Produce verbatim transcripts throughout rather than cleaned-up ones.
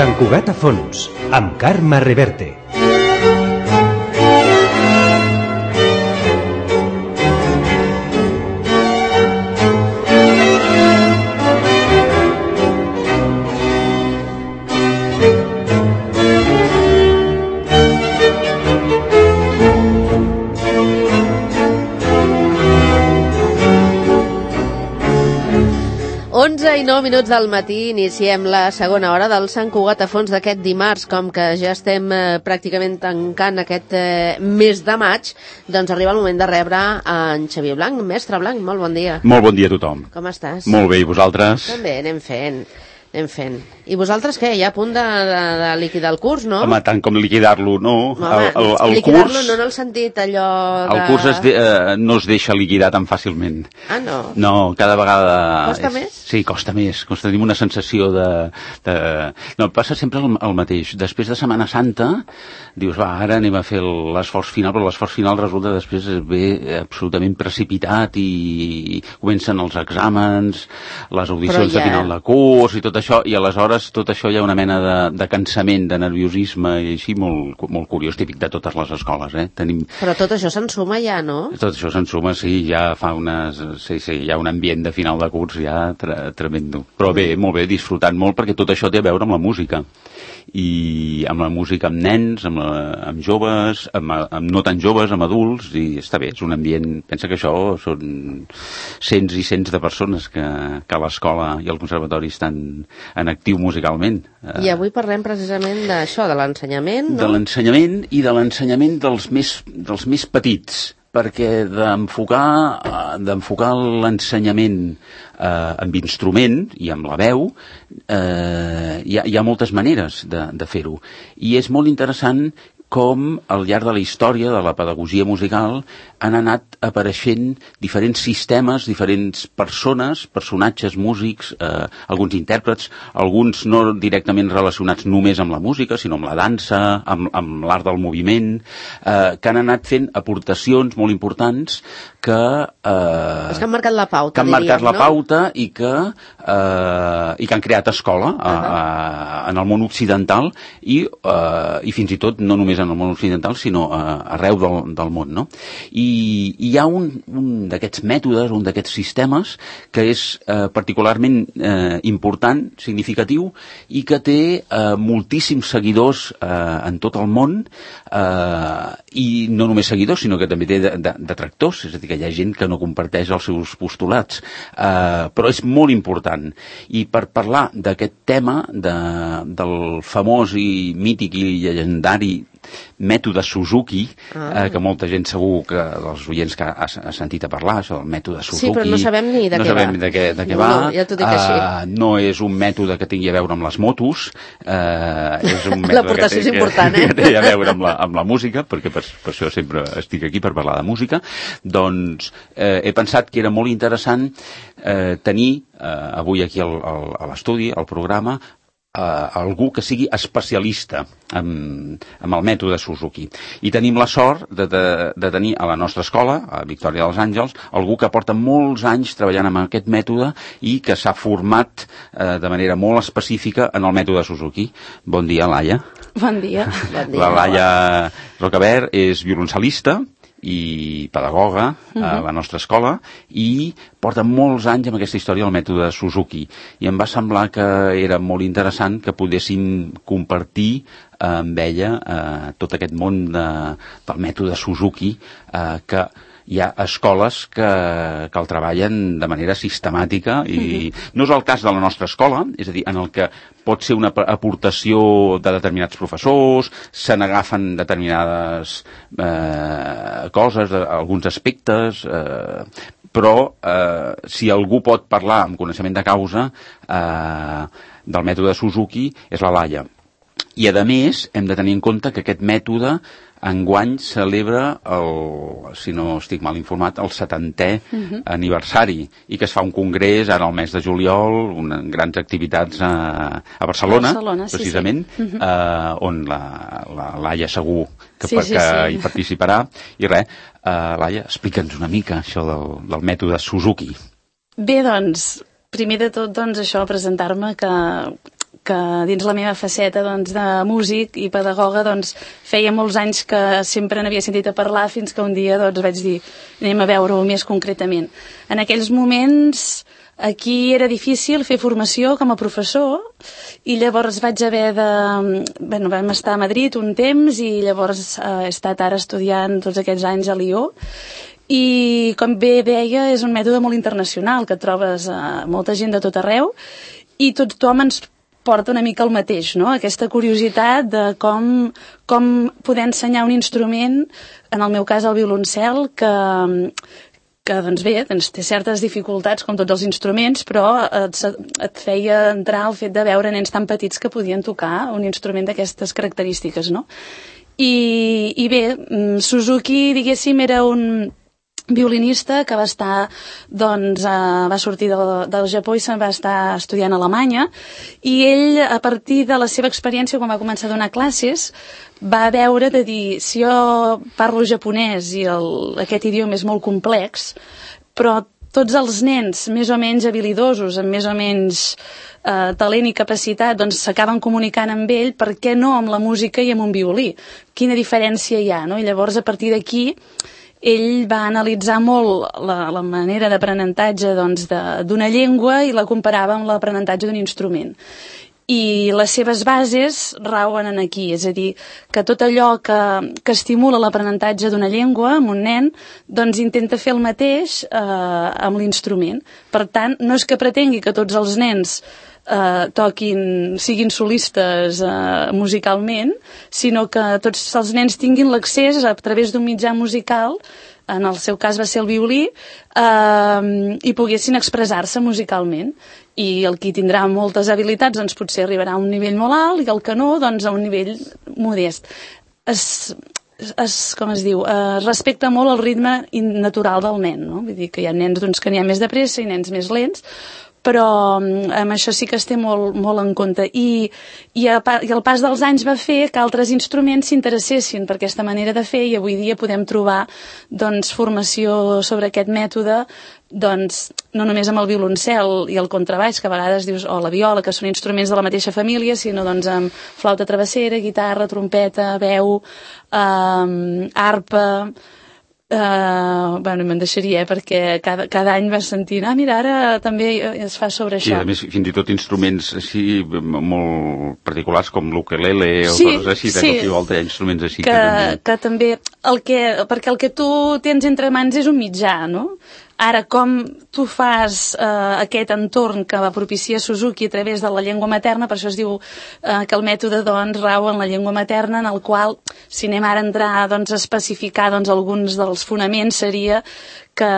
Sant Cugat a fons, amb Carme Reverte. onze i nou minuts del matí, iniciem la segona hora del Sant Cugat a fons d'aquest dimarts. Com que ja estem eh, pràcticament tancant aquest eh, mes de maig, doncs arriba el moment de rebre en Xavier Blanc. Mestre Blanc, molt bon dia. Molt bon dia a tothom. Com estàs? Molt bé, i vosaltres? També, anem fent, anem fent. I vosaltres què? Ja a punt de, de, de liquidar el curs, no? Home, tant com liquidar-lo, no. Home, el, el, el liquidar-lo curs, no en el sentit allò de... El curs es de, eh, no es deixa liquidar tan fàcilment. Ah, no? No, cada vegada... Costa és, més? Sí, costa més. Costa, tenim una sensació de... de... No, passa sempre el, el mateix. Després de Setmana Santa, dius, va, ara anem a fer l'esforç final, però l'esforç final resulta després ve absolutament precipitat i comencen els exàmens, les audicions ja... de final de curs i tot això, i aleshores tot això hi ha una mena de, de cansament, de nerviosisme i així molt, molt curiós, típic de totes les escoles, eh? Tenim... Però tot això se'n suma ja, no? Tot això se'n suma, sí, ja fa unes... Sí, sí, hi ha un ambient de final de curs ja tre tremendo. Però bé, molt bé, disfrutant molt, perquè tot això té a veure amb la música. I amb la música amb nens, amb, la, amb joves, amb, amb no tan joves, amb adults, i està bé, és un ambient... Pensa que això són cents i cents de persones que, que a l'escola i al conservatori estan en actiu musicalment. I avui parlem precisament d'això, de l'ensenyament, no? De l'ensenyament i de l'ensenyament dels més, dels més petits, perquè d'enfocar d'enfocar l'ensenyament eh, amb instrument i amb la veu eh, hi, ha, hi ha moltes maneres de, de fer-ho. I és molt interessant com al llarg de la història de la pedagogia musical han anat apareixent diferents sistemes, diferents persones, personatges, músics, eh, alguns intèrprets, alguns no directament relacionats només amb la música, sinó amb la dansa, amb, amb l'art del moviment, eh, que han anat fent aportacions molt importants que... Eh, Els que han marcat la pauta, que han diríem, marcat la no? pauta i que, eh, i que han creat escola uh -huh. a, a, en el món occidental i, eh, i fins i tot no només en el món occidental, sinó uh, arreu del, del món, no? I, i hi ha un, un d'aquests mètodes, un d'aquests sistemes que és eh, particularment eh, important, significatiu, i que té eh, moltíssims seguidors eh, en tot el món, eh, i no només seguidors, sinó que també té detractors, és a dir, que hi ha gent que no comparteix els seus postulats, eh, però és molt important. I per parlar d'aquest tema, de, del famós i mític i llegendari mètode Suzuki, ah. eh, que molta gent segur que dels oients que ha, ha sentit a parlar, això del mètode Suzuki. Sí, però no sabem ni de no què sabem va. De què, de què no, va. No, ja t'ho dic uh, així. No és un mètode que tingui a veure amb les motos, eh, és un mètode l'aportació és important, eh? que té a veure amb la, amb la música, perquè per, per això sempre estic aquí per parlar de música. Doncs eh, he pensat que era molt interessant eh, tenir eh, avui aquí al, al, a l'estudi, al programa, Uh, algú que sigui especialista en, en el mètode Suzuki. I tenim la sort de, de, de tenir a la nostra escola, a Victòria dels Àngels, algú que porta molts anys treballant amb aquest mètode i que s'ha format uh, de manera molt específica en el mètode Suzuki. Bon dia, Laia. Bon dia. Bon dia. La Laia Rocabert és violoncel·lista i pedagoga uh -huh. a la nostra escola i porta molts anys amb aquesta història del mètode Suzuki, i em va semblar que era molt interessant que podéssim compartir eh, amb ella eh, tot aquest món de, del mètode Suzuki, eh, que hi ha escoles que, que el treballen de manera sistemàtica i uh-huh. no és el cas de la nostra escola, és a dir, en el que pot ser una aportació de determinats professors, se n'agafen determinades eh, coses, alguns aspectes, eh, però eh, si algú pot parlar amb coneixement de causa eh, del mètode Suzuki és la Laia. I a més hem de tenir en compte que aquest mètode enguany celebra, el, si no estic mal informat, el setantè uh-huh. aniversari, i que es fa un congrés ara al mes de juliol, una, grans activitats a, a Barcelona, Barcelona precisament, sí, sí. Uh-huh. eh, on la, la Laia segur que, sí, per, sí, que sí. hi participarà. I res, eh, Laia, explica'ns una mica això del, del mètode Suzuki. Bé, doncs, primer de tot, doncs, això, presentar-me que... que dins la meva faceta doncs, de músic i pedagoga doncs, feia molts anys que sempre n'havia sentit a parlar fins que un dia doncs, vaig dir anem a veure-ho més concretament. En aquells moments aquí era difícil fer formació com a professor i llavors vaig haver de... Bueno, vam estar a Madrid un temps i llavors he estat ara estudiant tots aquests anys a Lió i com bé deia és un mètode molt internacional que trobes a molta gent de tot arreu i tothom ens porta una mica el mateix, no? Aquesta curiositat de com, com poder ensenyar un instrument, en el meu cas el violoncel, que... que doncs bé, doncs té certes dificultats com tots els instruments, però et, et feia entrar el fet de veure nens tan petits que podien tocar un instrument d'aquestes característiques, no? I, i bé, Suzuki, diguéssim, era un violinista que va estar, doncs, eh, va sortir del, del Japó i se'n va estar estudiant a Alemanya i ell, a partir de la seva experiència, quan va començar a donar classes, va veure de dir, si jo parlo japonès i el, aquest idioma és molt complex, però tots els nens més o menys habilidosos, amb més o menys eh, talent i capacitat, doncs s'acaben comunicant amb ell, per què no amb la música i amb un violí? Quina diferència hi ha, no? I llavors, a partir d'aquí, ell va analitzar molt la, la manera d'aprenentatge doncs, d'una llengua i la comparava amb l'aprenentatge d'un instrument. I les seves bases rauen en aquí, és a dir, que tot allò que, que estimula l'aprenentatge d'una llengua amb un nen, doncs intenta fer el mateix eh, amb l'instrument. Per tant, no és que pretengui que tots els nens eh, toquin, siguin solistes eh, musicalment, sinó que tots els nens tinguin l'accés a través d'un mitjà musical, en el seu cas va ser el violí, eh, i poguessin expressar-se musicalment. I el qui tindrà moltes habilitats doncs potser arribarà a un nivell molt alt i el que no, doncs a un nivell modest. Es, es, com es diu, es respecta molt el ritme natural del nen, no? Vull dir que hi ha nens doncs, que n'hi ha més de pressa i nens més lents, però amb això sí que es té molt, molt en compte. I, i, a, I el pas dels anys va fer que altres instruments s'interessessin per aquesta manera de fer i avui dia podem trobar doncs, formació sobre aquest mètode doncs, no només amb el violoncel i el contrabaix, que a vegades dius, o la viola, que són instruments de la mateixa família, sinó doncs, amb flauta travessera, guitarra, trompeta, veu, eh, arpa... Uh, bueno, me'n deixaria, eh, perquè cada, cada any vas sentint, ah, mira, ara també es fa sobre això. I a més, fins i tot instruments així molt particulars com l'ukelele o sí, coses així, de sí. cop i volta hi ha instruments així que, que també... que també el que, perquè el que tu tens entre mans és un mitjà, no? Ara, com tu fas eh, aquest entorn que va propiciar Suzuki a través de la llengua materna, per això es diu eh, que el mètode doncs, rau en la llengua materna, en el qual, si anem ara a entrar doncs, a especificar doncs, alguns dels fonaments, seria que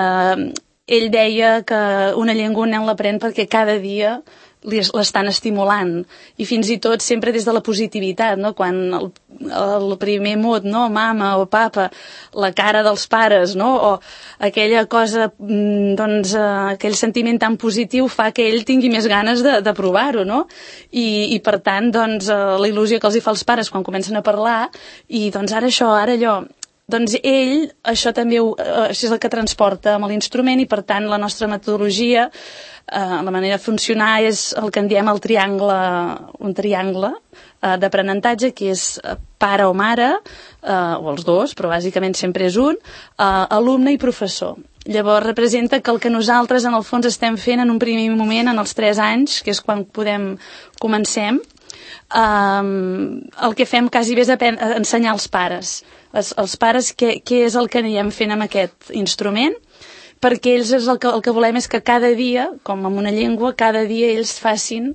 ell deia que una llengua un nen l'aprèn perquè cada dia l'estan estimulant i fins i tot sempre des de la positivitat, no? Quan el, el primer mot, no? Mama o papa, la cara dels pares, no? O aquella cosa, doncs, aquell sentiment tan positiu fa que ell tingui més ganes de, de provar-ho, no? I, i per tant, doncs, la il·lusió que els hi fa als pares quan comencen a parlar i doncs ara això, ara allò. Doncs ell, això també ho, això és el que transporta amb l'instrument i per tant la nostra metodologia, eh, la manera de funcionar és el que en diem el triangle, un triangle eh, d'aprenentatge que és pare o mare, eh, o els dos, però bàsicament sempre és un, eh, alumne i professor. Llavors representa que el que nosaltres en el fons estem fent en un primer moment, en els tres anys, que és quan podem comencem, Um, el que fem quasi bé és ensenyar als pares els, els pares què, què és el que anirem fent amb aquest instrument, perquè ells és el que, el que volem és que cada dia, com amb una llengua, cada dia ells facin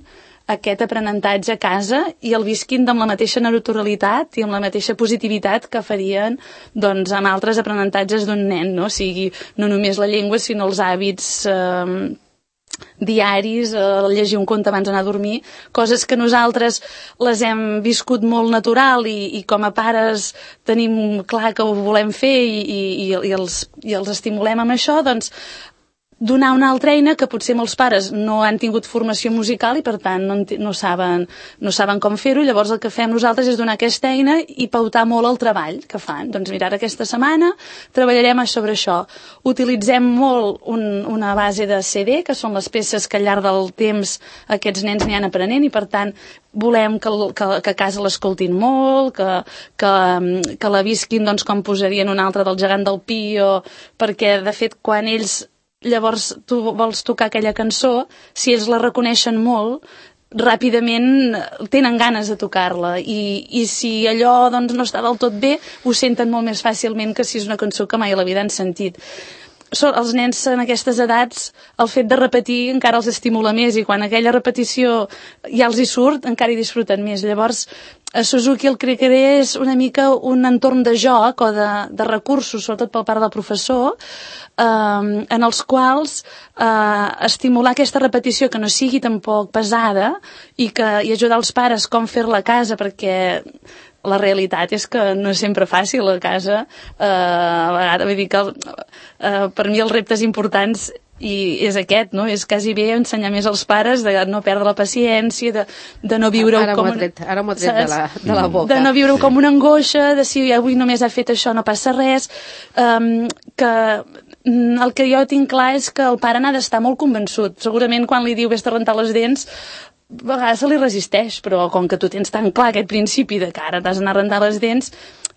aquest aprenentatge a casa i el visquin amb la mateixa naturalitat i amb la mateixa positivitat que farien doncs, amb altres aprenentatges d'un nen, no? O sigui, no només la llengua sinó els hàbits eh, diaris, eh, llegir un conte abans d'anar a dormir, coses que nosaltres les hem viscut molt natural i, i com a pares tenim clar que ho volem fer i, i, i, els, i els estimulem amb això, doncs donar una altra eina que potser molts pares no han tingut formació musical i per tant no, no, saben, no saben com fer-ho. Llavors el que fem nosaltres és donar aquesta eina i pautar molt el treball que fan. Doncs mira, aquesta setmana treballarem sobre això. Utilitzem molt un, una base de C D, que són les peces que al llarg del temps aquests nens n'hi han aprenent i per tant volem que, que, que a casa l'escoltin molt, que, que, que la visquin doncs, com posarien un altre del gegant del Pi, o, perquè de fet quan ells llavors tu vols tocar aquella cançó, si ells la reconeixen molt, ràpidament tenen ganes de tocar-la i, i si allò doncs, no està del tot bé, ho senten molt més fàcilment que si és una cançó que mai a la vida han sentit. So, els nens en aquestes edats, el fet de repetir encara els estimula més i quan aquella repetició ja els hi surt, encara hi disfruten més. Llavors, a Suzuki el que crearé és una mica un entorn de joc o de, de recursos, sobretot pel part del professor, eh, en els quals eh, estimular aquesta repetició que no sigui tampoc pesada i, que, i ajudar els pares com fer-la a casa, perquè la realitat és que no és sempre fàcil a casa. Eh, a vegades, vull dir que eh, per mi els reptes importants i és aquest, no? És quasi bé ensenyar més als pares de no perdre la paciència, de, de no viure-ho com... Tret, ara m'ho ha tret de la, de la boca. De no viure-ho com una angoixa, de si avui només ha fet això no passa res, um, que el que jo tinc clar és que el pare n'ha d'estar molt convençut. Segurament quan li diu vés-te a rentar les dents, a vegades se li resisteix, però com que tu tens tan clar aquest principi de que ara t'has d'anar a rentar les dents,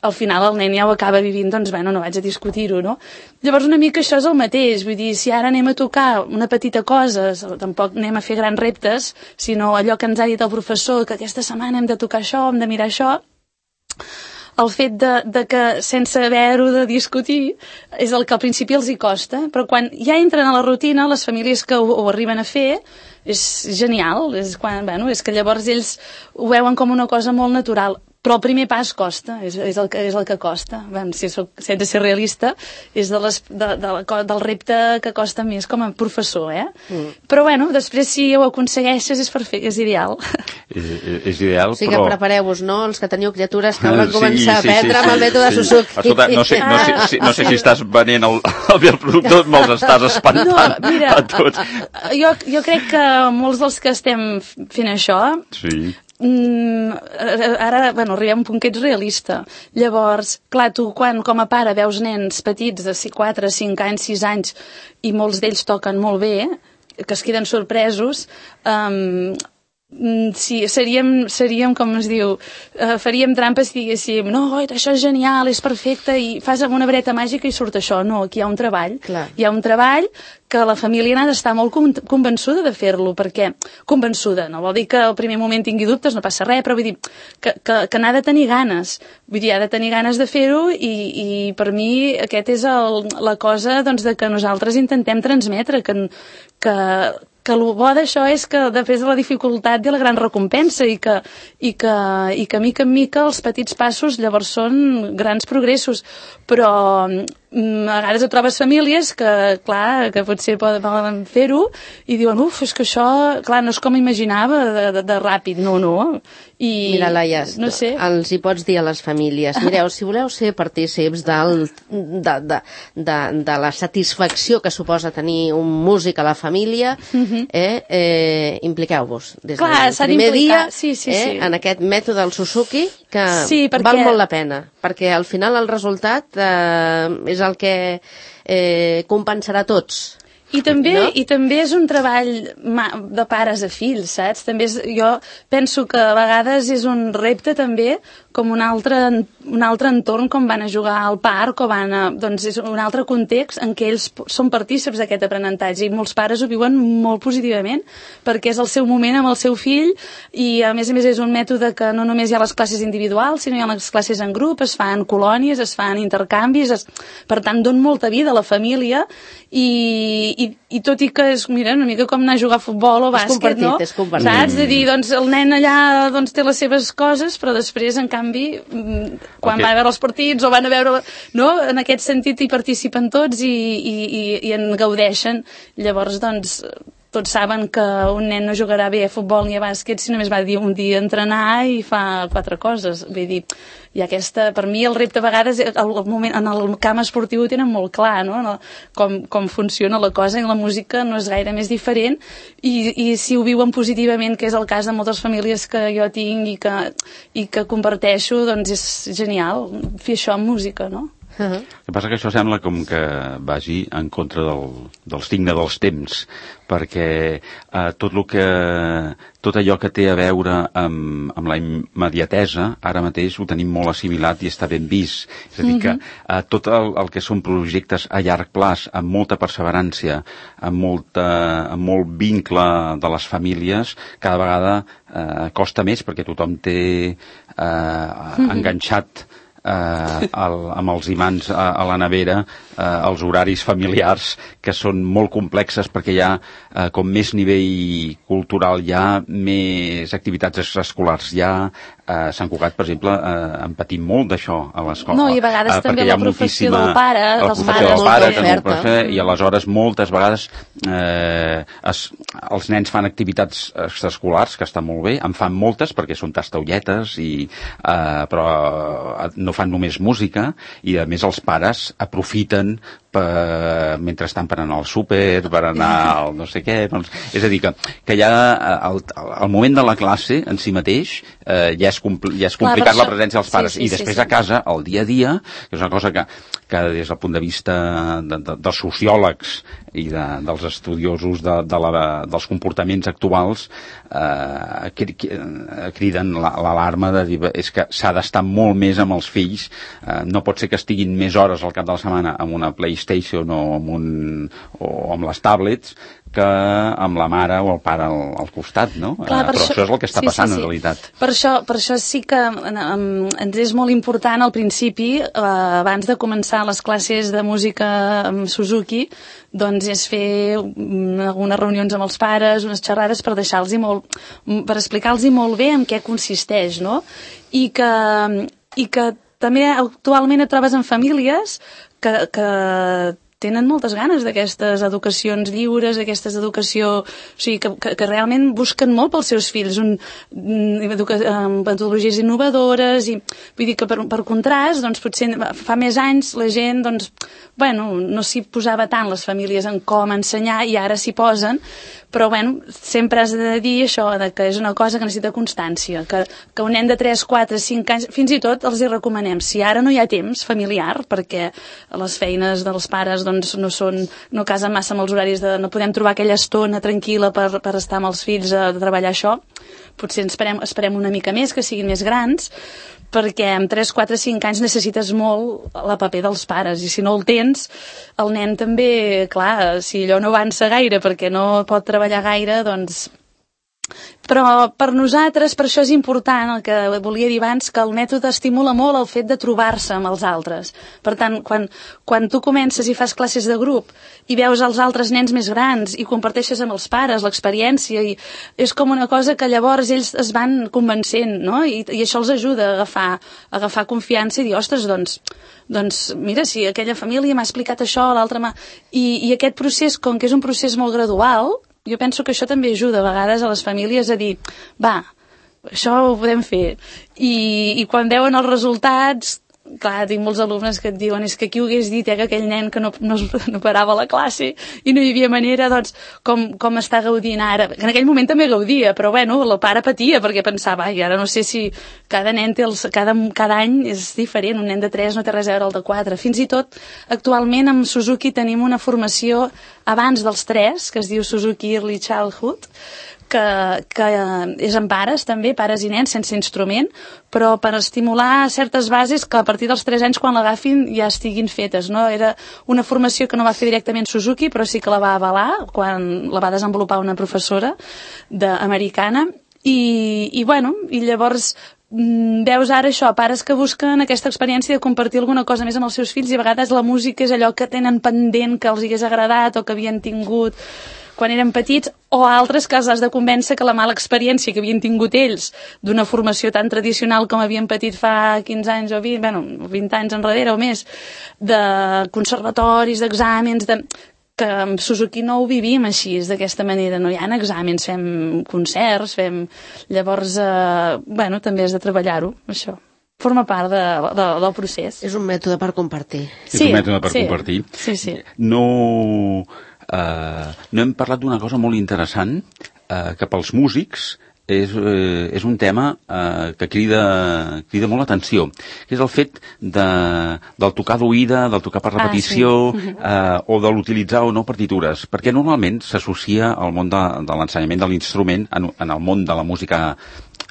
al final el nen ja ho acaba vivint, doncs bueno, no vaig a discutir-ho, no? Llavors una mica això és el mateix, vull dir, si ara anem a tocar una petita cosa, tampoc anem a fer grans reptes, sinó allò que ens ha dit el professor, que aquesta setmana hem de tocar això, hem de mirar això, el fet de, de que sense haver-ho de discutir és el que al principi els hi costa, però quan ja entren a la rutina, les famílies que ho, ho arriben a fer, és genial, és, quan, bueno, és que llavors ells ho veuen com una cosa molt natural. Però el primer pas costa, és, és, el, que, és el que costa. Bueno, si soc, sense ser realista, és de les, de, de, del repte que costa més com a professor, eh? Mm. Però bueno, després si ho aconsegueixes és perfecte, és ideal. És, és ideal, o sigui però... que prepareu-vos, no?, els que teniu criatures que van sí, començar sí, a aprendre sí, amb el sí, mètode sí. Suzuki. Escolta, no sé, no sé, si, no sé si estàs venent el, el bé producte, me'ls estàs espantant no, mira, a tots. Jo, jo crec que molts dels que estem fent això... Sí. Mm, ara, bueno, arribem a un punt que ets realista. Llavors, clar, tu quan com a pare veus nens petits de quatre, cinc anys, sis anys i molts d'ells toquen molt bé, que es queden sorpresos, um, sí, seríem, seríem, com es diu, uh, faríem trampes si diguéssim, no, oi, això és genial, és perfecte, i fas amb una vareta màgica i surt això. No, aquí hi ha un treball. Clar. Hi ha un treball que la família n'ha d'estar molt convençuda de fer-lo, perquè convençuda, no vol dir que al primer moment tingui dubtes, no passa res, però vull dir que, que, que n'ha de tenir ganes, vull dir, ha de tenir ganes de fer-ho i, i per mi aquest és el, la cosa doncs, de que nosaltres intentem transmetre, que, que, que el bo d'això és que després de la dificultat hi ha la gran recompensa i que, i que, i que mica en mica els petits passos llavors són grans progressos, però a vegades et trobes famílies que, clar, que potser poden fer-ho i diuen, uf, és que això, clar, no és com imaginava de, de, de ràpid, no, no. I, mira, Laia, no sé. Els hi pots dir a les famílies, mireu, si voleu ser partícips del, de, de, de, de la satisfacció que suposa tenir un músic a la família, uh-huh. eh, eh, impliqueu-vos des clar, del primer dia sí, sí, eh, sí. en aquest mètode del Suzuki, que sí, perquè... val molt la pena, perquè al final el resultat eh, és el que eh, compensarà tots. I també, no? I també és un treball de pares a fills, saps? També és, jo penso que a vegades és un repte també com un altre, un altre entorn, com van a jugar al parc o van a... Doncs és un altre context en què ells són partícips d'aquest aprenentatge i molts pares ho viuen molt positivament perquè és el seu moment amb el seu fill i a més a més és un mètode que no només hi ha les classes individuals, sinó hi ha les classes en grup, es fan colònies, es fan intercanvis, es... per tant dona molta vida a la família i, i, i tot i que és, mira, una mica com anar a jugar a futbol o bàsquet, no? És compartit. Saps? De dir, doncs el nen allà doncs, té les seves coses, però després, en canvi, quan okay. va a veure els partits o van a veure... No? En aquest sentit hi participen tots i, i, i, i en gaudeixen. Llavors, doncs, tots saben que un nen no jugarà bé a futbol ni a bàsquet si només va dir un dia entrenar i fa quatre coses. Vull dir, i aquesta, per mi el repte a vegades, el, el moment, en el camp esportiu ho tenen molt clar, no? no com, com funciona la cosa, i la música no és gaire més diferent, i, i si ho viuen positivament, que és el cas de moltes famílies que jo tinc i que, i que comparteixo, doncs és genial fer això amb música, no? Uh-huh. El que passa que això sembla com que vagi en contra del, del signe dels temps, perquè eh, tot, lo que, tot allò que té a veure amb, amb la immediatesa, ara mateix ho tenim molt assimilat i està ben vist. És a dir, que eh, tot el, el que són projectes a llarg plaç, amb molta perseverança, amb, molta, amb molt vincle de les famílies, cada vegada eh, costa més, perquè tothom té eh, enganxat Eh, el, amb els imants a, a la nevera eh, els horaris familiars, que són molt complexes, perquè hi ha eh, com més nivell cultural, hi ha més activitats extraescolars, hi ha eh, Sant Cugat, per exemple, eh, en patim molt d'això a l'escola. No, i a vegades eh, també la professió del pare, dels pares, del pare també, i aleshores moltes vegades eh, es, els nens fan activitats extraescolars, que estan molt bé, en fan moltes perquè són tastaulletes, i, eh, però no fan només música, i a més els pares aprofiten per, mentre estan per anar al súper, per anar al no sé què, doncs, és a dir que, que ja el, el moment de la classe en si mateix eh, ja és, compl ja és complicat. Clar, la presència dels pares, sí, sí, i després sí, sí. a casa, el dia a dia, que és una cosa que, que des del punt de vista de, de, dels sociòlegs i de, dels estudiosos de, de la, dels comportaments actuals eh, criden l'alarma de dir és que s'ha d'estar molt més amb els fills, eh, no pot ser que estiguin més hores al cap de la setmana amb una PlayStation o amb, un, o amb les tablets que amb la mare o el pare al, al costat, no? Clar, eh, però això, això és el que està sí, passant sí, sí. en realitat. Per això, per això sí que um, ens és molt important al principi, uh, abans de començar les classes de música amb Suzuki, doncs és fer um, algunes reunions amb els pares, unes xerrades per deixar-los molt, per explicar-los molt bé en què consisteix, no? I que, i que també actualment et trobes en famílies que, que tenen moltes ganes d'aquestes educacions lliures, d'aquestes educació, o sigui, que, que, que realment busquen molt pels seus fills, un, educa, metodologies innovadores, i vull dir que per, per contrast, doncs potser fa més anys la gent, doncs, bueno, no s'hi posava tant les famílies en com ensenyar, i ara s'hi posen, però bueno, sempre has de dir això, de que és una cosa que necessita constància, que, que un nen de tres, quatre, cinc anys, fins i tot els hi recomanem, si ara no hi ha temps familiar, perquè les feines dels pares doncs, no són, no casen massa amb els horaris, de, no podem trobar aquella estona tranquil·la per, per estar amb els fills a treballar això, potser esperem, esperem una mica més, que siguin més grans, perquè amb tres, quatre, cinc anys necessites molt la paper dels pares, i si no el tens, el nen també, clar, si allò no avança gaire perquè no pot treballar gaire, doncs... Però per nosaltres, per això és important el que volia dir abans, que el mètode estimula molt el fet de trobar-se amb els altres. Per tant, quan, quan tu comences i fas classes de grup i veus els altres nens més grans i comparteixes amb els pares l'experiència, i és com una cosa que llavors ells es van convencent, no? I, i això els ajuda a agafar, a agafar confiança i dir, ostres, doncs, doncs mira, si aquella família m'ha explicat això, l'altra m'ha... I, I aquest procés, com que és un procés molt gradual, jo penso que això també ajuda a vegades a les famílies a dir, va, això ho podem fer. I, i quan veuen els resultats, clar, tinc molts alumnes que et diuen és que qui ho hagués dit, eh, que aquell nen que no, no, no parava a la classe i no hi havia manera, doncs, com, com està gaudint ara. En aquell moment també gaudia, però bueno, el pare patia perquè pensava, ai, ara no sé si cada nen té els, cada, cada any és diferent, un nen de tres no té res a veure el de quatre. Fins i tot, actualment amb Suzuki tenim una formació abans dels tres, que es diu Suzuki Early Childhood, que, que és amb pares també, pares i nens sense instrument, però per estimular certes bases que a partir dels tres anys quan l'agafin ja estiguin fetes, no? Era una formació que no va fer directament Suzuki, però sí que la va avalar quan la va desenvolupar una professora de, americana, i, i bueno, i llavors veus ara això, pares que busquen aquesta experiència de compartir alguna cosa més amb els seus fills, i a vegades la música és allò que tenen pendent, que els hagués agradat o que havien tingut quan eren petits, o altres que els has de convèncer que la mala experiència que havien tingut ells d'una formació tan tradicional com havien patit fa quinze anys o vint, bueno, vint anys enrere o més, de conservatoris, d'exàmens, de... que amb Suzuki no ho vivim així, d'aquesta manera, no hi ha exàmens, fem concerts, fem... Llavors, eh, bueno, també has de treballar-ho, això. Forma part de, de, del procés. És un mètode per compartir. És sí, un mètode per sí, compartir. Sí, sí. No, eh, no hem parlat d'una cosa molt interessant, eh, que pels músics és, eh, és un tema eh, que crida, crida molt l'atenció, que és el fet de, del tocar d'oïda, del tocar per repetició, ah, sí. eh, o de l'utilitzar o no partitures, perquè normalment s'associa al món de, de l'ensenyament de l'instrument en, en el món de la música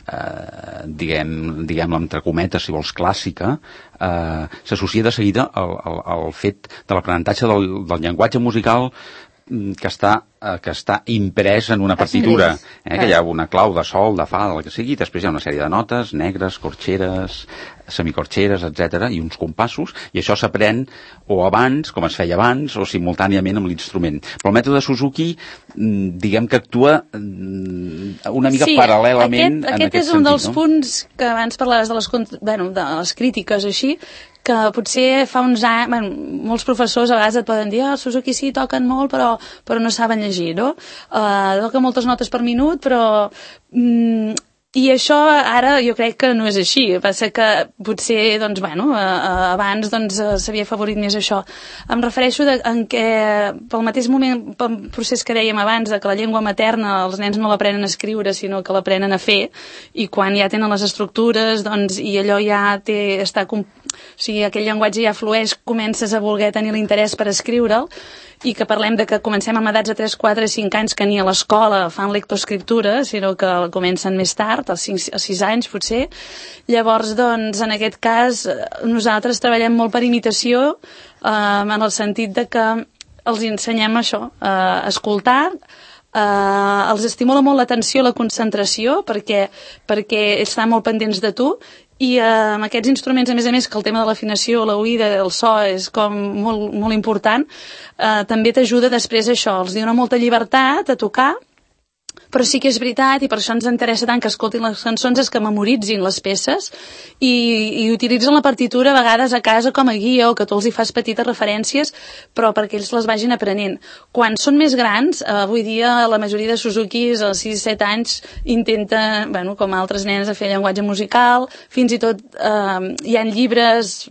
eh, diguem, diguem-la entre cometes, si vols, clàssica, eh, s'associa de seguida al, al, al fet de l'aprenentatge del, del llenguatge musical que està, eh, que està imprès en una partitura, eh, que hi ha una clau de sol, de fa, del que sigui, després hi ha una sèrie de notes, negres, corxeres, semicorxeres, etcètera, i uns compassos, i això s'aprèn o abans, com es feia abans, o simultàniament amb l'instrument. Però el mètode Suzuki, diguem que actua una mica sí, paral·lelament aquest, en aquest aquest és un sentit, dels no? punts que abans parlaves de les, bueno, de les crítiques així, que potser fa uns anys, bueno, molts professors a vegades et poden dir, ah, el Suzuki sí, toquen molt, però, però no saben llegir, no? Uh, toquen moltes notes per minut, però... Mm, i això ara jo crec que no és així. Passa que potser, doncs, bueno, uh, abans doncs, s'havia favorit més això. Em refereixo de, en què, pel mateix moment, pel procés que dèiem abans, de que la llengua materna els nens no l'aprenen a escriure, sinó que l'aprenen a fer, i quan ja tenen les estructures, doncs, i allò ja té, està... O sigui, aquell llenguatge ja flueix, comences a voler tenir l'interès per escriure'l, i que parlem de que comencem amb edats de tres, quatre, cinc anys que ni a l'escola fan lectoescriptura, sinó que comencen més tard, als cinc, als sis anys potser. Llavors, doncs, en aquest cas, nosaltres treballem molt per imitació, eh, en el sentit de que els ensenyem això, eh, a escoltar, Uh, els estimula molt l'atenció, la concentració, perquè, perquè estan molt pendents de tu, i uh, amb aquests instruments, a més a més, que el tema de l'afinació, l'oïda, el so és com molt, molt important, uh, també t'ajuda després això, els dona molta llibertat a tocar, però sí que és veritat, i per això ens interessa tant que escoltin les cançons, és que memoritzin les peces i, i utilitzen la partitura a vegades a casa com a guia, o que tu els hi fas petites referències, però perquè ells les vagin aprenent. Quan són més grans, eh, avui dia la majoria de Suzukis als sis set anys intenten, bueno, com altres nens, a fer llenguatge musical, fins i tot eh, hi ha llibres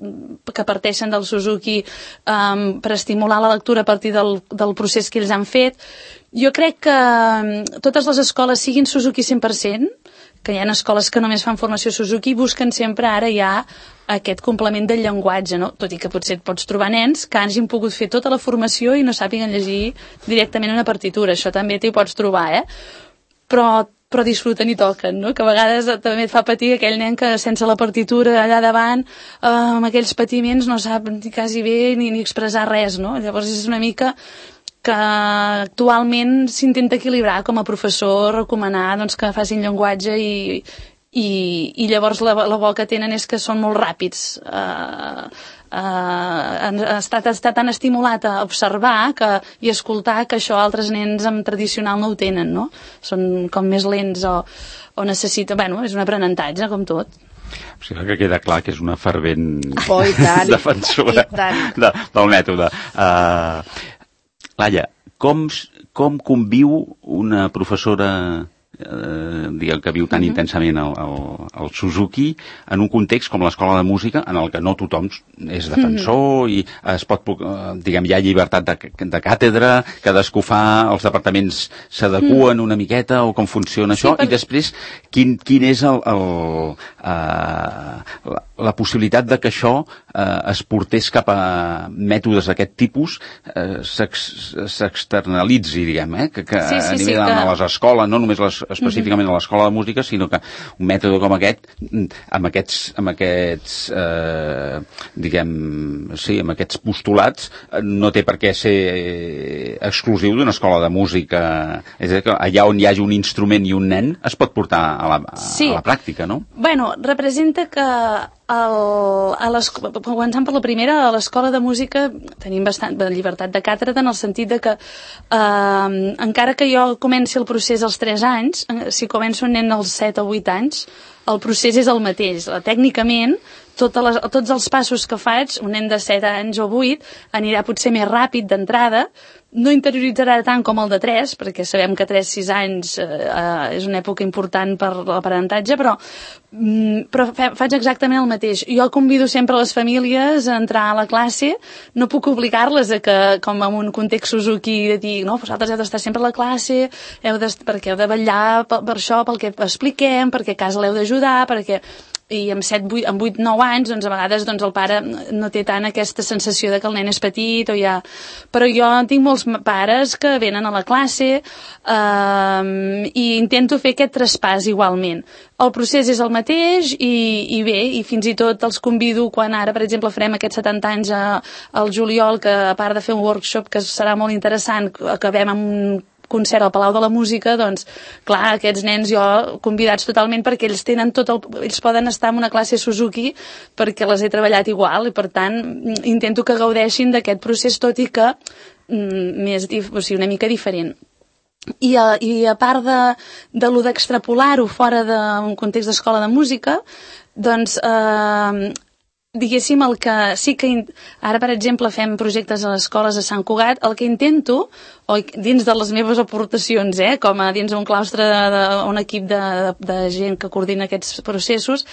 que parteixen del Suzuki eh, per estimular la lectura a partir del, del procés que ells han fet. Jo crec que totes les escoles, siguin Suzuki cent per cent, que hi ha escoles que només fan formació Suzuki, busquen sempre ara ja aquest complement del llenguatge, no? Tot i que potser et pots trobar nens que hagin pogut fer tota la formació i no sàpiguen llegir directament una partitura. Això també t'hi pots trobar, eh? Però però disfruten i toquen, no? Que a vegades també et fa patir aquell nen que sense la partitura allà davant, eh, amb aquells patiments, no sap quasi bé ni, ni expressar res, no? Llavors és una mica que actualment s'intenta equilibrar com a professor, recomanar doncs, que facin llenguatge i, i, i llavors la, la bo que tenen és que són molt ràpids. Uh, uh, està, està tan estimulat a observar que, i escoltar que això altres nens amb tradicional no ho tenen, no? Són com més lents o, o necessiten... Bueno, és un aprenentatge, com tot. O sigui que queda clar que és una fervent oh, defensora de, del mètode. Uh, Laia, com, com conviu una professora eh, diguem que viu tan uh-huh. intensament el, el, el Suzuki en un context com l'escola de música en el que no tothom és defensor uh-huh. i es pot, diguem, hi ha llibertat de, de càtedra, cadascú fa, els departaments s'adequen uh-huh. una miqueta o com funciona sí, això per... i després quin, quin és el, el, uh, la, la possibilitat de que això eh, es portés cap a mètodes d'aquest tipus eh, s'externalitzi, diguem, eh? que, que sí, sí, a nivell sí, de que... les escoles, no només les, específicament uh-huh. a l'escola de música, sinó que un mètode com aquest, amb aquests, amb aquests eh, diguem, sí, amb aquests postulats, no té per què ser exclusiu d'una escola de música. És a dir, que allà on hi hagi un instrument i un nen es pot portar a la, a, sí. a la pràctica, no? Bueno, representa que El, a començant per la primera, a l'escola de música tenim bastant de llibertat de càtedra en el sentit de que eh, encara que jo comenci el procés als tres anys, si començo un nen als set o vuit anys, el procés és el mateix. Tècnicament totes les, tots els passos que faig, un nen de set anys o vuit anirà potser més ràpid d'entrada, no interioritzarà tant com el de tres, perquè sabem que tres sis anys eh, eh, és una època important per l'aprenentatge, però, mm, però fa, faig exactament el mateix. Jo convido sempre les famílies a entrar a la classe, no puc obligar-les a que, com en un context Suzuki, de dir, no, vosaltres heu d'estar sempre a la classe, heu de, perquè heu de vetllar per, per això, pel que expliquem, perquè a casa l'heu d'ajudar, perquè... i amb set, vuit, amb vuit, nou anys, doncs a vegades doncs, el pare no té tant aquesta sensació de que el nen és petit o ja... Però jo tinc molts pares que venen a la classe eh, i intento fer aquest traspàs igualment. El procés és el mateix i, i bé, i fins i tot els convido quan ara, per exemple, farem aquests setanta anys a, al juliol, que a part de fer un workshop que serà molt interessant, acabem amb un concert al Palau de la Música, doncs, clar, aquests nens jo convidats totalment perquè ells tenen tot el... ells poden estar en una classe Suzuki perquè les he treballat igual i, per tant, intento que gaudeixin d'aquest procés, tot i que mm, més, o sigui, una mica diferent. I a, i a part de, de lo d'extrapolar-ho fora d'un context d'escola de música, doncs... Eh, diguéssim, el que sí que... Ara, per exemple, fem projectes a les escoles de Sant Cugat, el que intento, o dins de les meves aportacions, eh, com a dins d'un claustre, de, un equip de, de, de gent que coordina aquests processos,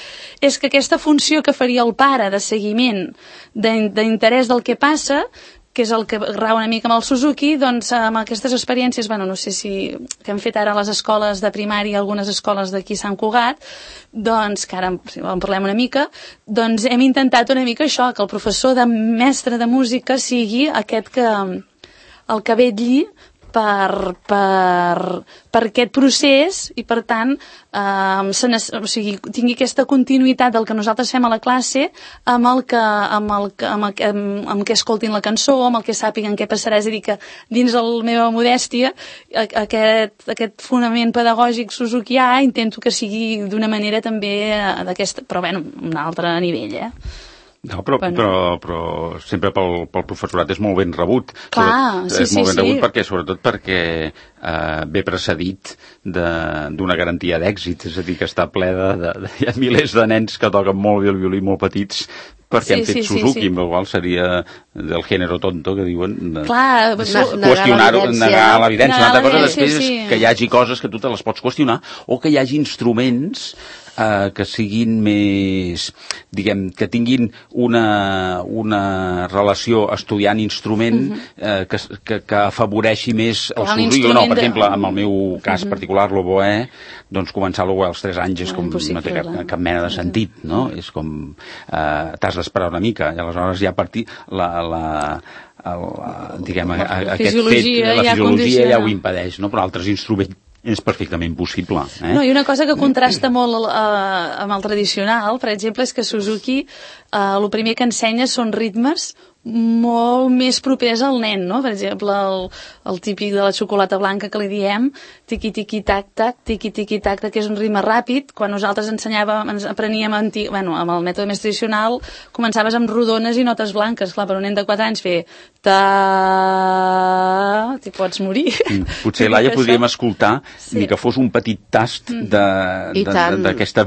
és que aquesta funció que faria el pare de seguiment, d'interès del que passa, que és el que rau una mica amb el Suzuki, doncs amb aquestes experiències, bueno, no sé si que hem fet ara a les escoles de primària, algunes escoles d'aquí a Sant Cugat, doncs, que ara en parlem una mica, doncs hem intentat una mica això, que el professor de mestre de música sigui aquest que, el que vetlli per, per, per aquest procés i, per tant, eh, se o sigui, tingui aquesta continuïtat del que nosaltres fem a la classe amb el que, amb el, amb el, amb, amb què escoltin la cançó, amb el que sàpiguen què passarà. És a dir, que dins de la meva modèstia aquest, aquest fonament pedagògic suzukià intento que sigui d'una manera també d'aquesta, però bueno, un altre nivell, eh? No, però, bueno. però, però sempre pel, pel professorat és molt ben rebut. Clar, sobretot, sí, és molt sí, ben rebut sí. perquè, sobretot perquè eh, ve precedit d'una garantia d'èxit, és a dir, que està ple de, de, de... Hi ha milers de nens que toquen molt bé el violí, molt petits, perquè sí, han fet sí, Suzuki, sí, sí. amb el qual seria del género tonto, que diuen, de, clar, qüestionar-ho, negar l'evidència. Una altra cosa després sí, sí. és que hi hagi coses que tu te les pots qüestionar, o que hi hagi instruments Uh, que siguin més, diguem, que tinguin una, una relació estudiant instrument uh -huh. uh, que, que, que afavoreixi més el Suzuki. No, per exemple, en el meu cas uh -huh. particular, l'oboè, doncs començar l'oboè als tres anys és com no té cap, cap mena de sentit, no? Uh -huh. És com, uh, t'has d'esperar una mica, i aleshores ja a partir la... la el, diguem, la, la aquest fet, la ja fisiologia ja ho impedeix, no? Però altres instruments és perfectament possible. Eh? No, i una cosa que contrasta molt eh, amb el tradicional, per exemple, és que Suzuki eh, el primer que ensenya són ritmes molt més propers al nen, no? Per exemple, el, el típic de la xocolata blanca que li diem, tiqui-tiqui-tac-tac, tiqui-tiqui-tac-tac, que és un ritme ràpid. Quan nosaltres ensenyàvem, ens apreníem antic, bueno, amb el mètode més tradicional, començaves amb rodones i notes blanques. Clar, per un nen de quatre anys fer ta... t'hi pots morir. Mm, potser, Laia, podríem escoltar sí. ni que fos un petit tast d'aquest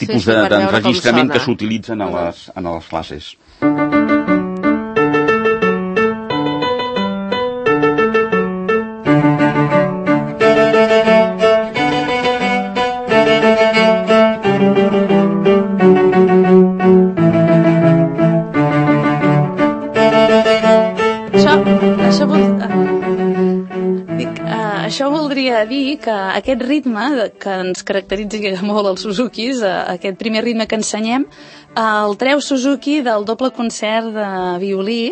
tipus sí, sí, d'enregistrament que s'utilitzen a les, a les classes. Això voldria dir que aquest ritme que ens caracteritza molt els Suzukis, aquest primer ritme que ensenyem, el treu Suzuki del doble concert de violí,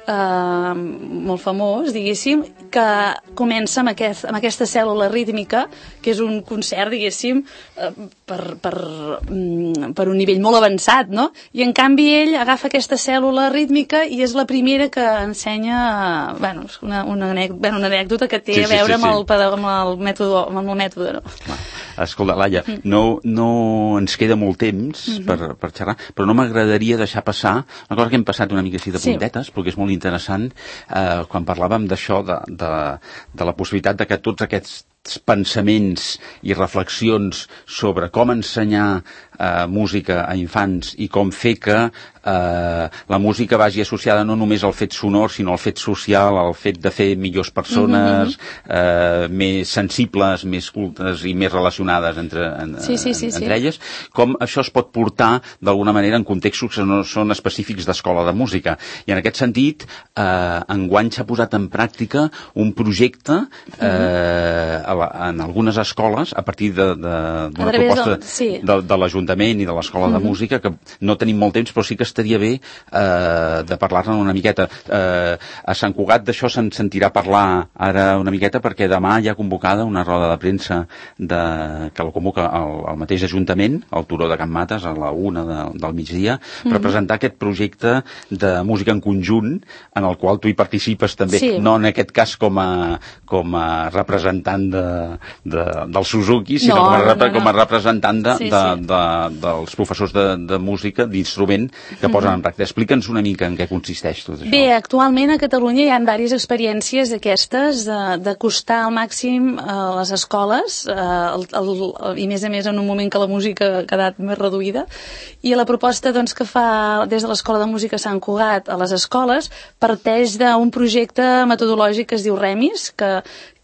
eh, molt famós, diguéssim, que comença amb, aquest, amb aquesta cèl·lula rítmica, que és un concert, diguéssim, eh, per, per, per un nivell molt avançat, no? I en canvi ell agafa aquesta cèl·lula rítmica i és la primera que ensenya, bueno, una, una, anècdota, bueno, una anècdota que té sí, sí, a veure sí, sí. Amb, el, amb el mètode, amb el mètode, no? Escolta, Laia, mm. no, no ens queda molt temps mm -hmm. per, per xerrar, però no m'agradaria deixar passar una cosa que hem passat una mica així de puntetes, sí. perquè és molt interessant, eh, quan parlàvem d'això, de, de, de la possibilitat de que tots aquests pensaments i reflexions sobre com ensenyar eh, música a infants i com fer que eh, la música vagi associada no només al fet sonor, sinó al fet social, al fet de fer millors persones, mm-hmm. eh, més sensibles, més cultes i més relacionades entre, en, sí, sí, sí, entre sí. elles, com això es pot portar d'alguna manera en contextos que no són específics d'escola de música. I en aquest sentit, eh, enguany s'ha posat en pràctica un projecte eh, a la, en algunes escoles, a partir d'una proposta del, sí. de, de l'Ajuntament i de l'Escola mm-hmm. de Música, que no tenim molt temps, però sí que estaria bé eh, de parlar-ne una miqueta. Eh, a Sant Cugat d'això se'n sentirà parlar ara una miqueta, perquè demà hi ha convocada una roda de premsa de, que la convoca el, el mateix Ajuntament, al Turó de Can Mates, a la una de, del migdia, mm-hmm. per presentar aquest projecte de música en conjunt, en el qual tu hi participes també, sí. no en aquest cas com a, com a representant de, de, del Suzuki, sinó no, com, a, no, no. com a representant de, sí, de, sí. de, dels professors de, de música, d'instrument, que posen mm-hmm. en pràctica. Explica'ns una mica en què consisteix tot això. Bé, actualment a Catalunya hi ha diverses experiències d'aquestes, d'acostar al màxim a les escoles, el, el, el, i més a més en un moment que la música ha quedat més reduïda, i la proposta doncs, que fa des de l'Escola de Música Sant Cugat a les escoles parteix d'un projecte metodològic que es diu REMIS, que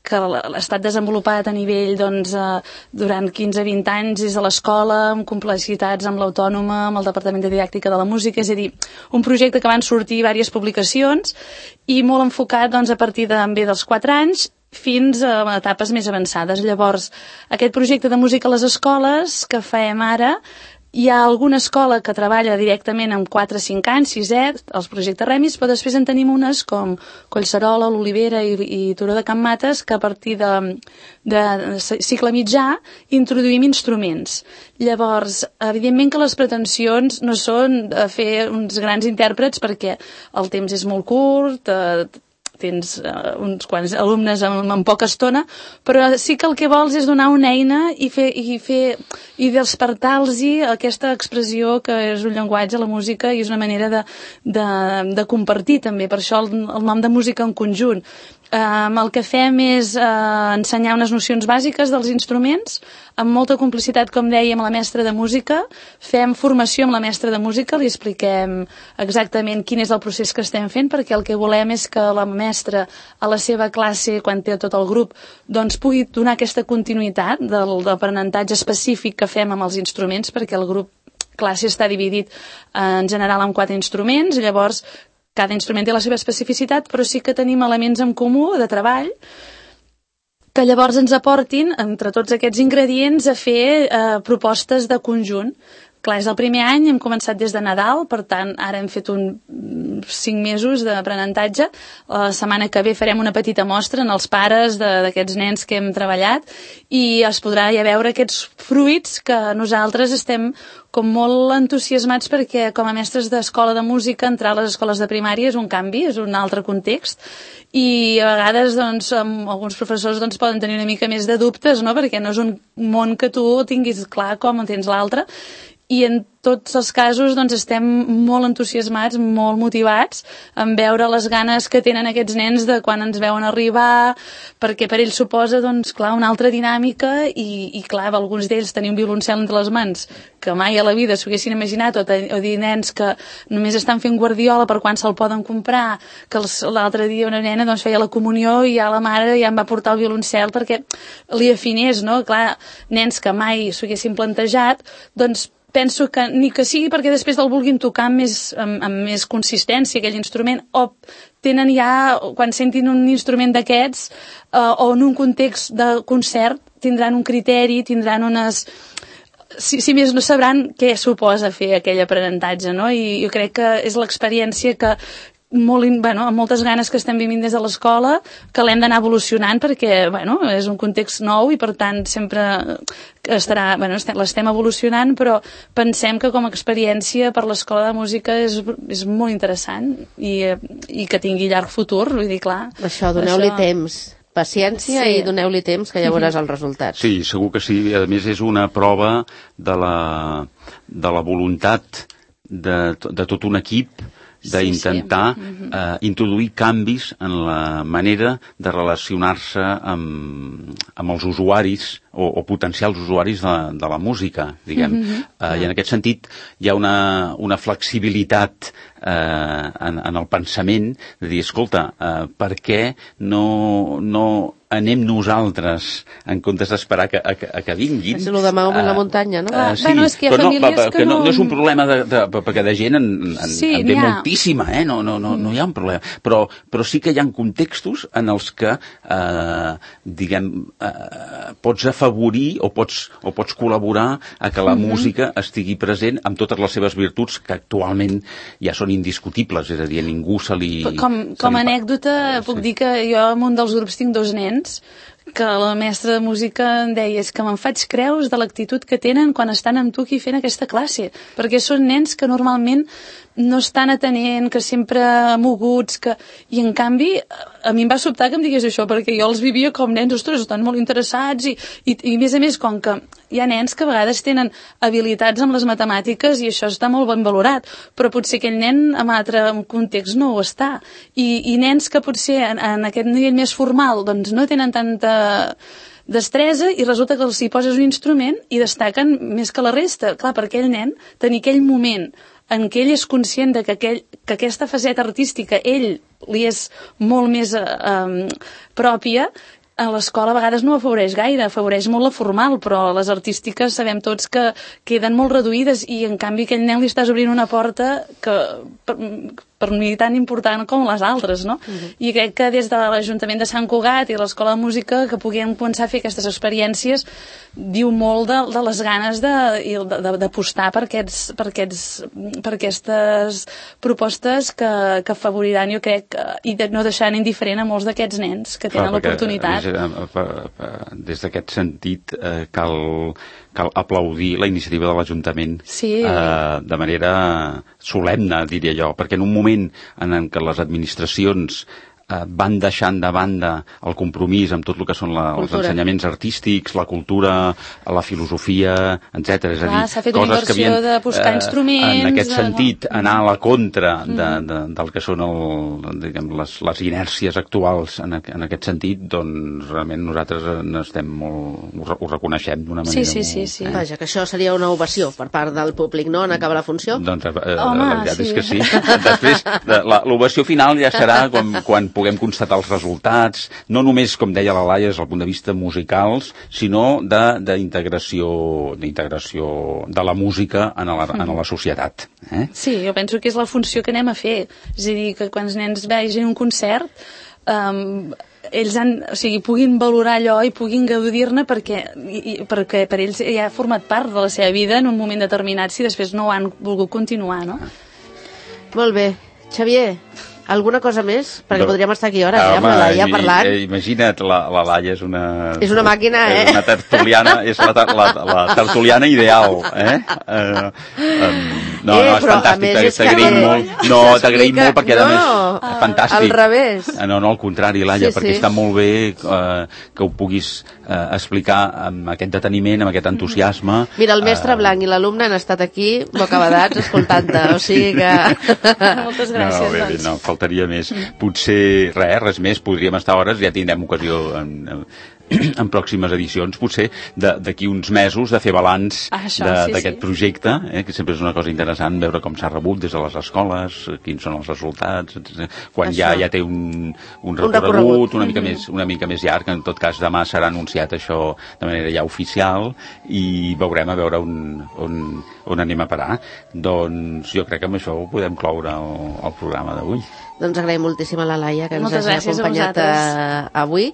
que ha estat desenvolupat a nivell doncs, eh, durant quinze a vint anys des de l'escola, amb complexitats amb l'Autònoma, amb el Departament de Didàctica de la Música, és a dir, un projecte que van sortir diverses publicacions i molt enfocat doncs, a partir de, bé, dels quatre anys fins a etapes més avançades. Llavors, aquest projecte de música a les escoles que fem ara, hi ha alguna escola que treballa directament amb quatre a cinc anys, sisè, els projectes REMIS, però després en tenim unes com Collserola, l'Olivera i, i Turó de Can Mates, que a partir de, de cicle mitjà introduïm instruments. Llavors, evidentment que les pretensions no són fer uns grans intèrprets perquè el temps és molt curt, eh, tens uh, uns quants alumnes en, en poca estona, però sí que el que vols és donar una eina i fer i, fer, i despertar-los aquesta expressió que és un llenguatge, la música, i és una manera de, de, de compartir també, per això el, el nom de música en conjunt. Um, el que fem és uh, ensenyar unes nocions bàsiques dels instruments, amb molta complicitat, com dèiem, amb la mestra de música. Fem formació amb la mestra de música, li expliquem exactament quin és el procés que estem fent, perquè el que volem és que la mestra a la seva classe, quan té tot el grup, doncs pugui donar aquesta continuïtat del, del aprenentatge específic que fem amb els instruments, perquè el grup classe està dividit uh, en general en quatre instruments, llavors cada instrument té la seva especificitat, però sí que tenim elements en comú de treball que llavors ens aportin, entre tots aquests ingredients, a fer eh, propostes de conjunt. Clar, és el primer any, hem començat des de Nadal, per tant, ara hem fet un cinc mesos d'aprenentatge. La setmana que ve farem una petita mostra en els pares d'aquests nens que hem treballat i es podrà ja veure aquests fruits que nosaltres estem com molt entusiasmats perquè com a mestres d'escola de música entrar a les escoles de primària és un canvi, és un altre context i a vegades doncs, alguns professors doncs, poden tenir una mica més de dubtes, no? Perquè no és un món que tu tinguis clar com en tens l'altre. I en tots els casos doncs, estem molt entusiasmats, molt motivats en veure les ganes que tenen aquests nens de quan ens veuen arribar, perquè per ells suposa doncs, clar, una altra dinàmica i, i clar, alguns d'ells tenir un violoncel entre les mans que mai a la vida s'ho haguessin imaginat, o, ten, o dir nens que només estan fent guardiola per quan se'l poden comprar, que l'altre dia una nena doncs, feia la comunió i ja la mare ja em va portar el violoncel perquè li afinés, no? Clar, nens que mai s'ho haguessin plantejat, doncs penso que ni que sigui perquè després el vulguin tocar amb més, amb, amb més consistència aquell instrument, o tenen ja, quan sentin un instrument d'aquests eh, o en un context de concert, tindran un criteri, tindran unes... Si, si més no sabran què suposa fer aquell aprenentatge, no? I jo crec que és l'experiència que molt, bueno, amb moltes ganes que estem vivint des de l'escola, que l'hem d'anar evolucionant perquè bueno, és un context nou i per tant sempre estarà, bueno, l'estem evolucionant, però pensem que com a experiència per l'escola de música és, és molt interessant i, i que tingui llarg futur, vull dir, clar. Això, doneu-li això... temps, paciència sí. I doneu-li temps que ja veuràs els resultats. Sí, segur que sí. A més és una prova de la, de la voluntat de, de tot un equip d'intentar sí, sí. eh, introduir canvis en la manera de relacionar-se amb, amb els usuaris o, o potencials usuaris de, de la música, diguem. Mm-hmm. Uh, I en aquest sentit hi ha una, una flexibilitat eh, en, en el pensament de dir, escolta, eh, per què no, no anem nosaltres en comptes d'esperar que, a, a que vinguin. És el de Mahoma en la muntanya, no? Uh, sí, bueno, és que hi ha però no, famílies que, que no... no... No és un problema de, de, perquè de gent en, en, Sí, en ve n'hi ha. moltíssima, eh? No, no, no, no hi ha un problema. Però, però sí que hi ha contextos en els que, eh, diguem, eh, pots afavorir o pots, o pots col·laborar a que la mm-hmm. música estigui present amb totes les seves virtuts que actualment ja són indiscutibles, és a dir, a ningú se li... Com, com a li... anècdota puc Sí. dir que jo en un dels grups tinc dos nens que la mestra de música em deia és que me'n faig creus de l'actitud que tenen quan estan amb tu aquí fent aquesta classe, perquè són nens que normalment no estan atenent, que sempre moguts, que... i en canvi a mi em va sobtar que em digués això, perquè jo els vivia com nens, ostres, estan molt interessats i, i, i a més a més, com que hi ha nens que a vegades tenen habilitats amb les matemàtiques i això està molt ben valorat, però potser aquell nen en altre context no ho està. I, i nens que potser en, en aquest nivell més formal doncs no tenen tanta destresa i resulta que els hi poses un instrument i destaquen més que la resta. Clar, per aquell nen, tenir aquell moment en què ell és conscient de que, aquell, que aquesta faceta artística ell li és molt més eh, eh, pròpia, a l'escola a vegades no afavoreix gaire, afavoreix molt la formal, però les artístiques sabem tots que queden molt reduïdes i en canvi aquell nen li estàs obrint una porta que per, per mi tan important com les altres, no? Uh-huh. I crec que des de l'Ajuntament de Sant Cugat i l'Escola de Música que puguem començar a fer aquestes experiències diu molt de, de les ganes d'apostar per, aquests, per, aquests, per aquestes propostes que, que afavoriran, jo crec, i de no deixar indiferent a molts d'aquests nens que tenen l'oportunitat. Des d'aquest sentit eh, cal, cal aplaudir la iniciativa de l'Ajuntament sí. eh, de manera solemne, diria jo, perquè en un moment en què les administracions eh, van deixant de banda el compromís amb tot el que són la, els ensenyaments artístics, la cultura, la filosofia, etcètera. És a dir, s'ha fet una inversió havien, de buscar eh, instruments... En aquest de... sentit, anar a la contra de, de, del que són el, diguem, les, les inèrcies actuals en, en aquest sentit, doncs realment nosaltres estem molt, ho, ho reconeixem d'una manera sí, sí, sí, molt... sí. Eh? Vaja, que això seria una ovació per part del públic, no?, en acabar la funció? Doncs eh, Home, la veritat sí. és que sí. Després, l'ovació final ja serà quan, quan puguem constatar els resultats, no només, com deia la Laia, des del punt de vista musicals, sinó d'integració d'integració de la música en la, en la societat. Eh? Sí, jo penso que és la funció que anem a fer. És a dir, que quan els nens vegin un concert, um, ells han, o sigui, puguin valorar allò i puguin gaudir-ne perquè, i, perquè per ells ja ha format part de la seva vida en un moment determinat si després no ho han volgut continuar, no? Molt bé. Xavier, alguna cosa més? Perquè no. podríem estar aquí hores, eh, amb la Laia parlant. Imagina't, la, la Laia és una... És una màquina, eh? És una tertuliana, és la, la, la tertuliana ideal, eh? Uh, um, no, eh, no, és fantàstic, t'agraïm molt. No, t'agraïm molt perquè, a més, és fantàstic. Al revés. No, no, al contrari, Laia, sí, perquè sí. està molt bé uh, que ho puguis uh, explicar amb aquest deteniment, amb aquest entusiasme. Mira, el mestre uh, Blanc i l'alumne han estat aquí, bocabadats, escoltant-te, o sigui que... Moltes gràcies, no, bé, doncs. No, faltaria més. Potser, res, res més, podríem estar hores, ja tindrem ocasió en, en, en pròximes edicions, potser d'aquí uns mesos, de fer balanç ah, això, d'aquest sí, sí. projecte, eh, que sempre és una cosa interessant, veure com s'ha rebut des de les escoles, quins són els resultats, etcètera. Quan ja, ja té un, un, recorregut, un recorregut una mica, mm -hmm. més, una mica més llarg, en tot cas demà serà anunciat això de manera ja oficial i veurem a veure on, on, on anem a parar. Doncs jo crec que amb això ho podem cloure el, el programa d'avui. Doncs agraïm moltíssim a la Laia que ens Moltes hagi acompanyat a avui.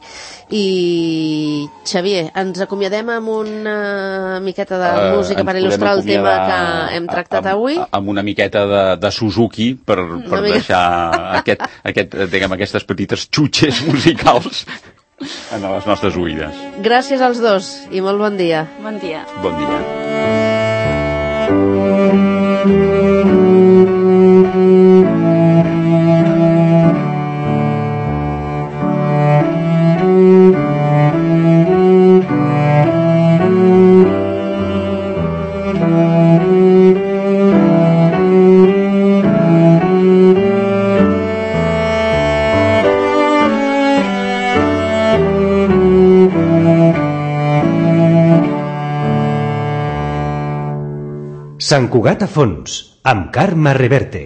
I Xavier, ens acomiadem amb una miqueta de uh, música per il·lustrar el tema que hem tractat amb, avui? Amb una miqueta de, de Suzuki per, per deixar aquest, aquest, diguem, aquestes petites xutxes musicals en les nostres oïdes. Gràcies als dos i molt bon dia. Bon dia. Bon dia. Thank you. Sant Cugat a fons, amb Carme Reverte.